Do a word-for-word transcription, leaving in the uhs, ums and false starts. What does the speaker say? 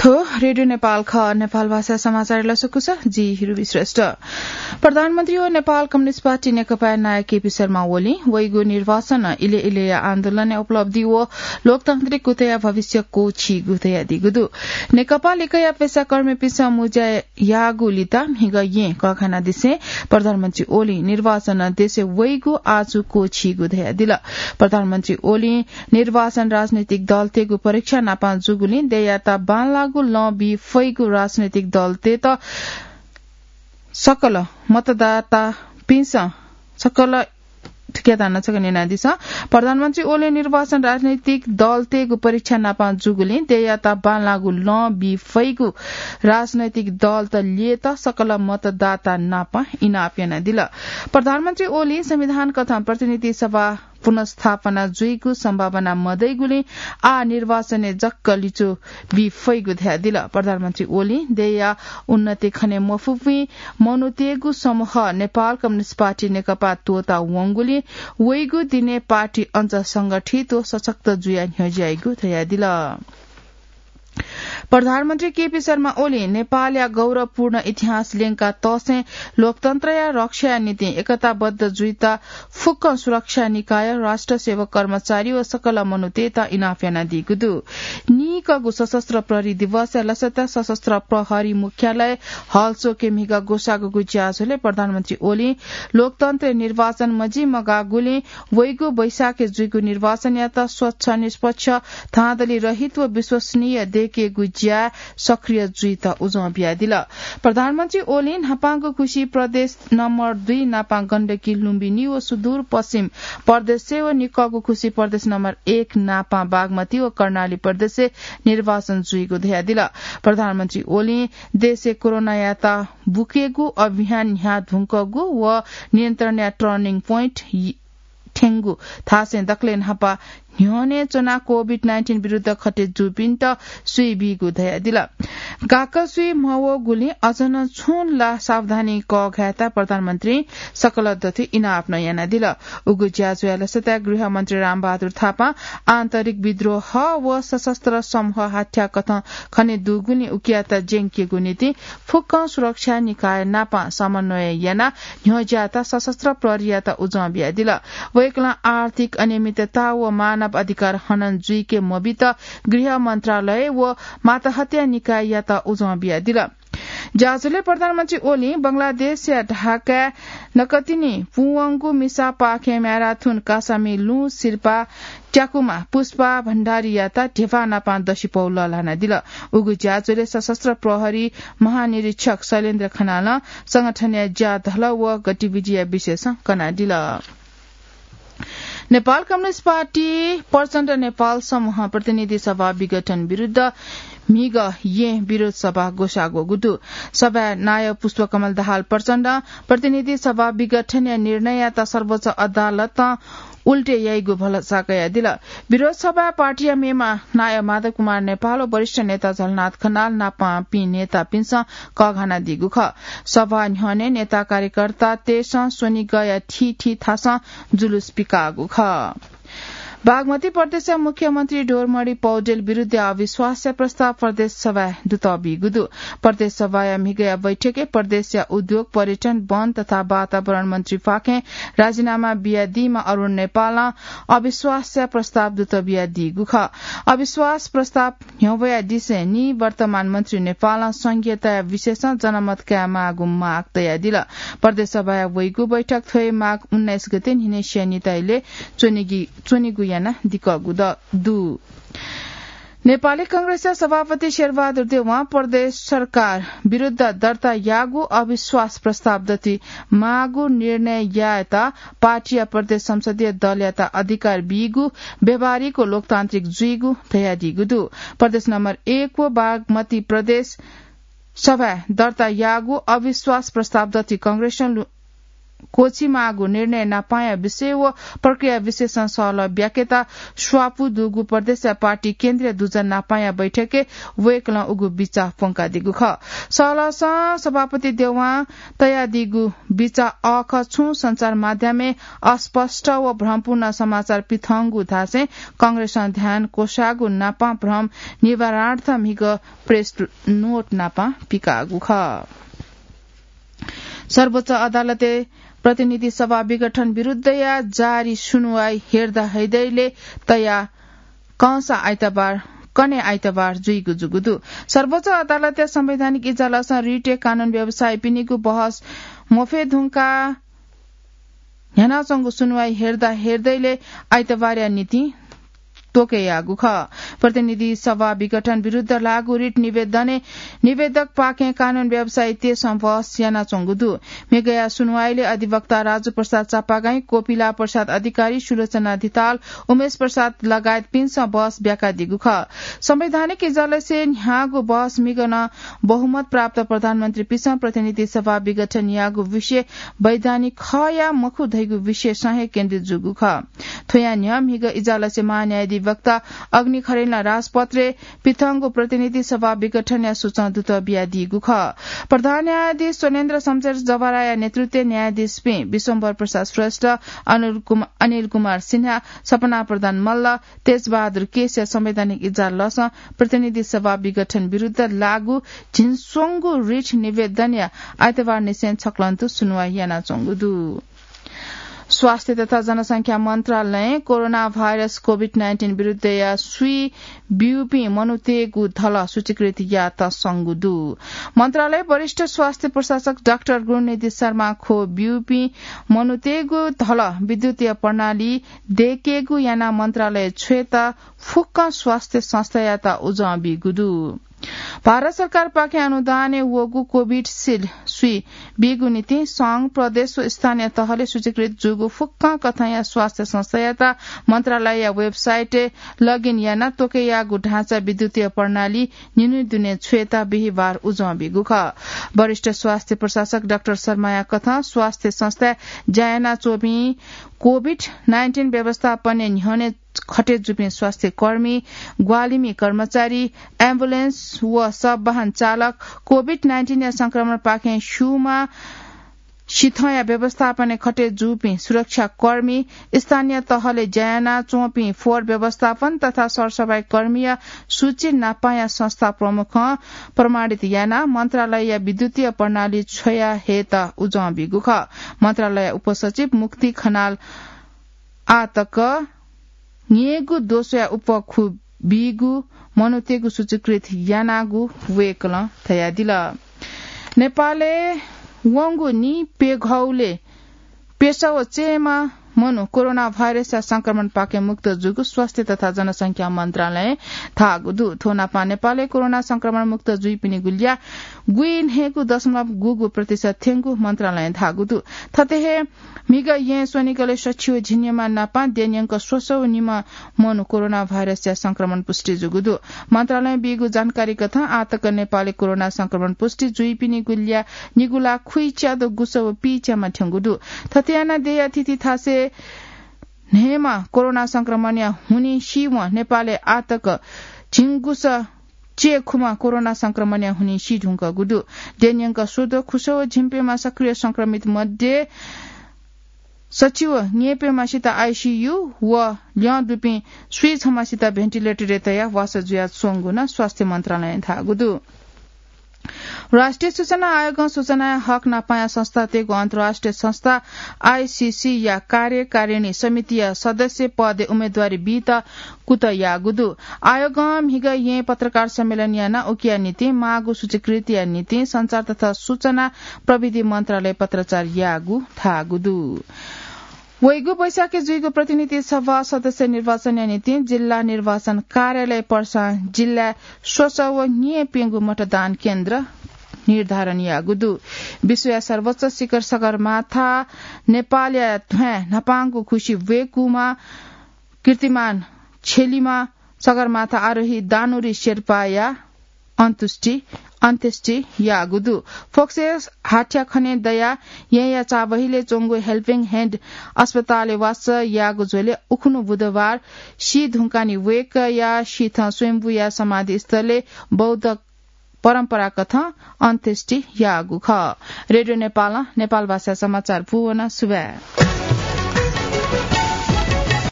थ्व रेडियो नेपाल खः। नेपाल भाषा समाचार लसकुस, जि हिरुबी श्रेष्ठ। प्रधानमन्त्री व नेपाल कम्युनिस्ट पार्टी नेकपा नायः केपी शर्मा ओलीं वइगु निर्वाचन इले इलेया आन्दोलनया उपलब्धि व लोकतान्त्रिक गुथया भविष्य क्वःछीगु धयादीगु दु। नेकपा लिकया पेसाकर्मीपिन्सं मुँज्या याःगु लिता म्हिगः येँ कःघानादिसें प्रधानमन्त्री ओलीं निर्वाचन देशय् वइगु आजु क्वःछीगु धयादिल। प्रधानमन्त्री ओलीं निर्वाचन राजनैतिक दलतय्गु परीक्षा नापं जूगुलिं देय्‌यात बांलाःगु लँ बी फइगु राजनैतिक दलतय्त सकल मतदातापिन्सं सकल थुकिया दाना छकः न्यनादिसँ। प्रधानमन्त्री ओलीं निर्वाचन राजनैतिक दलतय्गु परीक्षा नापं जूगुलिं देय्‌यात बांलाःगु लँ बी फइगु राजनैतिक दलत ल्ययेत सकल मतदाता नापं इनाप यानादिल। प्रधानमन्त्री ओलीं संविधान कथं प्रतिनिधि सभा पुनर्स्थापना जुइगु सम्भावना मदइगुलिं आः निर्वाचनय् जक्क लिचु बी फइगु धयादिल। प्रधानमन्त्री ओलीं देय्‌या उन्नति खने मफुपिं मनूतय्गु समूह नेपाल कम्युनिस्ट पार्टी नेकपा त्वःता वंगुलिं वइगु दिनय् पार्टी अझ संगठित व सशक्त जुया न्ह्यज्याइगु धयादिल। प्रधानमन्त्री केपी शर्मा ओलीं नेपालया गौरवपूर्ण इतिहास ल्यंका तःसें लोकतन्त्रया रक्षाया निंतिं एकताबद्ध जुइत फुक्क सुरक्षा निकाय, राष्ट्र सेवक कर्मचारी व सकल मनूतय्त इनाप यानादीगु दु। नीकःगु सशस्त्र प्रहरी दिवसया लसता सशस्त्र प्रहरी मुख्यालय हलचोकय् म्हिगः ग्वसाःगु ज्याझ्वलय् प्रधानमन्त्री ओलीं लोकतन्त्रय् निर्वाचन मजिमगाःगुलिं वइगु वैशाखय् जुइगु निर्वाचनयात स्वच्छ, निष्पक्ष, धाँधली रहित व विश्वसनीय दयेकेगु ज्याय् सक्रिय जुइत उजं बियादिल। प्रधानमन्त्री ओलीं न्हापांगु खुसी प्रदेश नम्बर दुई नापं गण्डकी, लुम्बिनी व सुदूर पश्चिम प्रदेशय् व निकःगु खुसी प्रदेश नम्बर एक नापं बागमती व कर्णाली प्रदेशय् निर्वाचन जुइगु धयादिल। प्रधानमन्त्री ओलीं देशय् कोरोनायात बुकेगु अभियान न्ह्याः धुंकूगु व नियन्त्रणया turning point थ्यंगु धासें दकलय् न्हापा न्ह्यःने च्वनाः COVID nineteen विरुद्ध खटे जूपिन्त सुइ बीगु धयादिल। गाक्क सुइ मवःगुलिं अझ नं छुं ला सावधानी कःघायेत प्रधानमन्त्रीं सकल दथुइ इनाप नं यानादिल। उगु ज्याझ्वःया लसताय् गृहमन्त्री रामबहादुर थापां आन्तरिक विद्रोह व सशस्त्र समूह हाथ्याः कथं खने दुगुलिं उकियात ज्यंकेगु निंतिं फुक्कं सुरक्षा निकाय नाप समन्वय यानाः न्ह्यज्याःत सशस्त्र प्रहरीयात उजं बियादिल। वय्कलं आर्थिक अनियमितता व मानव अधिकार हनन जुइके मबित गृह मन्त्रालय व मातहतया निकाययात उजं बियादिल। ज्याझ्वलय् प्रधानमन्त्री ओलीं बंगलादेशया ढाकाय् नकतिनि पूवंगु मिसापाखें म्याराथुन कासामि लुँ सिरपाः त्याकुमा पुष्पा भण्डारीयात ध्यबा नापं दसिपौ लःल्हानादिल। उगु ज्याझ्वलय् सशस्त्र प्रहरी महानिरीक्षक शैलेन्द्र खनालं संगठनया ज्याधल व गतिविधिया विषयसं कनादिल। नेपाल कम्युनिस्ट पार्टी प्रचण्ड नेपाल समूह प्रतिनिधि सभा विघटन विरुद्ध म्हिगः येँ विरोध सभा ग्वसाः ग्वःगु दु। सभाय् नायः पुष्पकमल दाहाल प्रचण्डं प्रतिनिधि सभा विघटनया निर्णययात सर्वोच्च अदालतं उल्टे याइगु भलसा कयादिल। विरोध सभाय् पार्टीया मेम्ह नायः माधव कुमार नेपाल व वरिष्ठ नेता झलनाथ खनाल नापंपिं नेतापिन्सं कःघानादीगु खः। सभा न्ह्यःने नेता कार्यकर्तातय्सं स्वनिगःया थीथी थासं जुलुस पिकाःगु खः। बागमती प्रदेशया मुख्यमन्त्री डोरमणि पौडेल विरुद्धया अविश्वासया प्रस्ताव प्रदेश सभाय् दुतः बीगु दु। प्रदेश सभाया म्हिगःया बैठकय् प्रदेशया उद्योग, पर्यटन, वन तथा वातावरण मन्त्रीपाखें राजीनामा बियादीम्ह अरुण नेपालं अविश्वासया प्रस्ताव दुतः बियादीगु खः। अविश्वास प्रस्ताव न्ह्यब्वयादिसें निवर्तमान मन्त्री नेपालं संघीयताया विषयसं जनमत कायेमाःगु माग तयादिल। प्रदेश सभाया वइगु बैठक थ्व हे माघ उन्नाइस गते न्हिनय् स्यानिता इलय् च्वनेगि-, च्वनेगु यानादिकःगु द-, दु। नेपाली कांग्रेसया सभापति शेरबहादुर देवां प्रदेश सरकार विरुद्ध दर्ता याःगु अविश्वास प्रस्ताव दथुइ माःगु निर्णय यायेत पार्टीया प्रदेश संसदीय दलयात अधिकार बीगु व्यावहारिक व लोकतान्त्रिक जुइगु धयादीगु दु। प्रदेश नम्बर एक व बागमती प्रदेश सभाय् दर्ता याःगु अविश्वास प्रस्ताव दथुइ कांग्रेसं लु-, क्वछिमाःगु निर्णय नापांया विषय व प्रक्रिया विशेषं सहलह ब्याकेत स्वापू दुगु प्रदेशया पार्टी केन्द्रीय दुजः नापांया बैठकय् वय्कलं उगु बिचाः प्वंकादीगु खः। सहलहसं सभापति देवां तयादीगु बिचाः अःखः छुं सञ्चार माध्यमय् अस्पष्ट व भ्रमपूर्ण समाचार पिथंगु धासें कांग्रेसं ध्यान क्वसाःगु नापां भ्रम निवारणार्थ म्हिगः प्रेस नोट नापां पिकाःगु खः। सर्वोच्च अदालतय् प्रतिनिधि सभा विघटन विरुद्धया जारी सुनुवाइ हेर्दा हेर्दैले तया कंसा आइतबार, कन्हय् आइतबार जुइगु जूगु दु। सर्वोच्च अदालतया संवैधानिक इजलासं रिटय् कानून व्यवसायीपिनिगु बहस मफये धुंकाः न्ह्यानाच्वंगु सुनुवाइ हेर्दा हेर्दैले आइतबारया निंतिं त्वकय् याःगु खः। प्रतिनिधि सभा विघटन विरुद्ध लागू रिट निवेदनय् निवेदकपाखें कानून व्यवसायीतय्सं बहस यानाच्वंगु दु। म्हिगःया सुनुवाइले अधिवक्ता राजु प्रसाद चापागाईं, कोपिला प्रसाद अधिकारी, सुलोचना धिताल, उमेश प्रसाद लगायतपिन्सं बहस ब्याकादीगु खः। संवैधानिक इजलासय् न्ह्याःगु बहस म्हिगः नं बहुमत प्राप्त प्रधानमन्त्रीपिसं प्रतिनिधि सभा विघटन याःगु विषय वैधानिक खः या मखु धइगु विषयसं हे केन्द्रित जूगु खः। थ्वया न्ह्यः म्हिगः इजलासय् महान्यायाधिवक्ता अग्नि खरेलया राजपत्रय् पिथंगु प्रतिनिधि सभा विघटनया सूचं दुत बियादीगु खः। प्रधान न्यायाधीश स्वनेन्द्र शमशेर जवराया नेतृत्वय् न्यायाधीशपिं विश्वम्भर प्रसाद श्रेष्ठ, अनिल कुम-, अनिल कुमार सिन्हा, सपना प्रधान मल्ल, तेजबहादुर केसीया संवैधानिक इजलासं प्रतिनिधि सभा विघटन विरुद्ध लागू झिंस्वंगु रिट निवेदनया आइतबारनिसें छक्लंतु सुनुवाइ यानाच्वंगु दु। स्वास्थ्य तथा जनसंख्या मन्त्रालयं कोरोना भाइरस कोभिड नाइन्टिन विरुद्धया सुई ब्यूपिं मनूतय्गु धलः सूचीकृत यात संगु दु। मन्त्रालय वरिष्ठ स्वास्थ्य प्रशासक डाक्टर गुणनिधि शर्मा ख्वः ब्यूपिं मनूतय्गु धलः विद्युतीय प्रणाली दय्केगु यानाः मन्त्रालय छ्वयेत फुक्क स्वास्थ्य संस्थायात उजं बीगु दु। भारत सरकारपाखें अनुदानय् वःगु कोभिसिल्ड सुई बीगु निंतिं संघ, प्रदेश व स्थानीय तहले सूचीकृत जूगु फुक्क कथंया स्वास्थ्य संस्थायात मन्त्रालयया वेबसाइटय् लगइन यानाः त्वकय् याःगु ढाँचा विद्युतीय प्रणाली निन्हु दुने छ्वयेत बिहिबार उजं बीगु खः। वरिष्ठ स्वास्थ्य प्रशासक डाक्टर शर्माया कथं स्वास्थ्य संस्थाय् ज्या यानाच्वंपिं कोभिड नाइन्टिन व्यवस्थापनय् न्ह्यःने खटे जूपिं स्वास्थ्य कर्मी, ग्वाहालिमि कर्मचारी, एम्बुलेन्स व सवाहन चालक, कोभिड नाइन्टिनया संक्रमणपाखें स्यूमा सिथंया व्यवस्थापनय् खटे जूपिं सुरक्षा कर्मी, स्थानीय तहले ज्या यानाच्वंपिं फोहोर व्यवस्थापन तथा सरसफाई कर्मीया सूची नापांया संस्था प्रमुखं प्रमाणित यानाः मन्त्रालयया विद्युतीय प्रणाली छ्वया हयेत उजं बीगु खः। मन्त्रालय उपसचिव मुक्ति खनाल आः तक न्यय्गु दोषया उपखु बीगु मनूतय्गु सूचीकृत यानागु वय्कलं धयादिल। नेपालय् वंगु नीप्यघौलय् प्यसः व चय्म्ह मनू कोरोना भाइरसया संक्रमणपाखें मुक्त जूगु स्वास्थ्य तथा जनसंख्या मन्त्रालयं धाःगु दु। थ्व नापं नेपालय् कोरोना संक्रमण मुक्त जुइपिनिगु ल्याः गुइन्हय्गू दशमलव गुगू प्रतिशत थ्यंगु मन्त्रालयं धाःगु दु। थथे हे म्हिगः येँ स्वनिगलय् सछि व झिंनिम्ह नापं द्यःन्यंक स्वसः व निम्ह मनू कोरोना भाइरसया संक्रमण पुष्टि जूगु दु। मन्त्रालयं बीगु जानकारी कथं आःतक नेपालय् कोरोना संक्रमण पुष्टि जुइपिनिगु ल्याः निगू लाख खुइच्यादँ गुसः व पीच्याम्ह थ्यंगु दु। थथे यानाः देय्या थीथी थासय् न्हय्म्ह कोरोना संक्रमणया हुनिं सीवं नेपालय् आःतक झिंगुसः च्यय्खुम्ह कोरोना संक्रमणया हुनिं सी धुंकूगु दु। द्यःन्यंक स्वद्वः खुसः व झिंप्यम्ह सक्रिय संक्रमित मध्ये सछि व न्यय्प्यम्हसित आइसियु व ल्यं दुपिं स्वीछम्हसित भेन्टिलेटरय् तयाः वासः जुयाच्वंगु नं स्वास्थ्य मन्त्रालयं धाःगु दु। राष्ट्रिय सूचना आयोगं सूचनाया हक नापांया संस्थातय्गु अन्तर्राष्ट्रिय संस्था आइसिसीया कार्यकारिणी समितिया सदस्य पदय् उम्मेदवारी बीत कुतः याःगु दु। आयोगं म्हिगः येँय् पत्रकार सम्मेलन यानाः उकिया निंतिं माःगु सूचीकृतिया निंतिं सञ्चार तथा सूचना प्रविधि मन्त्रालय पत्राचार याःगु धाःगु दु। वइगु वैशाखय् जुइगु प्रतिनिधि सभा सदस्य निर्वाचनया निंतिं जिल्ला निर्वाचन कार्यालय पर्सा जिल्लाय् स्वसः व न्यय्प्यंगू मतदान केन्द्र निर्धारण याःगु दु। विश्वया सर्वोच्च शिखर सगरमाथा नेपालया ध्वाँय् न्हापांगु खुसि वय्कूम्ह कीर्तिमान छेलिमा सगरमाथा आरोही दानुरी शेर्पाया अन्त्येष्टि अन्त्येष्टि याःगु दु। फोक्से हाथ्या खने दया येँया चाबहिले च्वंगु हेल्पिङ ह्यान्ड अस्पतालय् वास याःगु झ्वलय् उखुन्हु बुधबार सी धुंकानि वेकया शीथं स्वयम्भूया समाधिस्थलय् बौद्ध परम्पराकथं अन्त्येष्टि याःगु खः। रेडियो नेपालं नेपाल भाषा समाचार पूवना सुभाय्।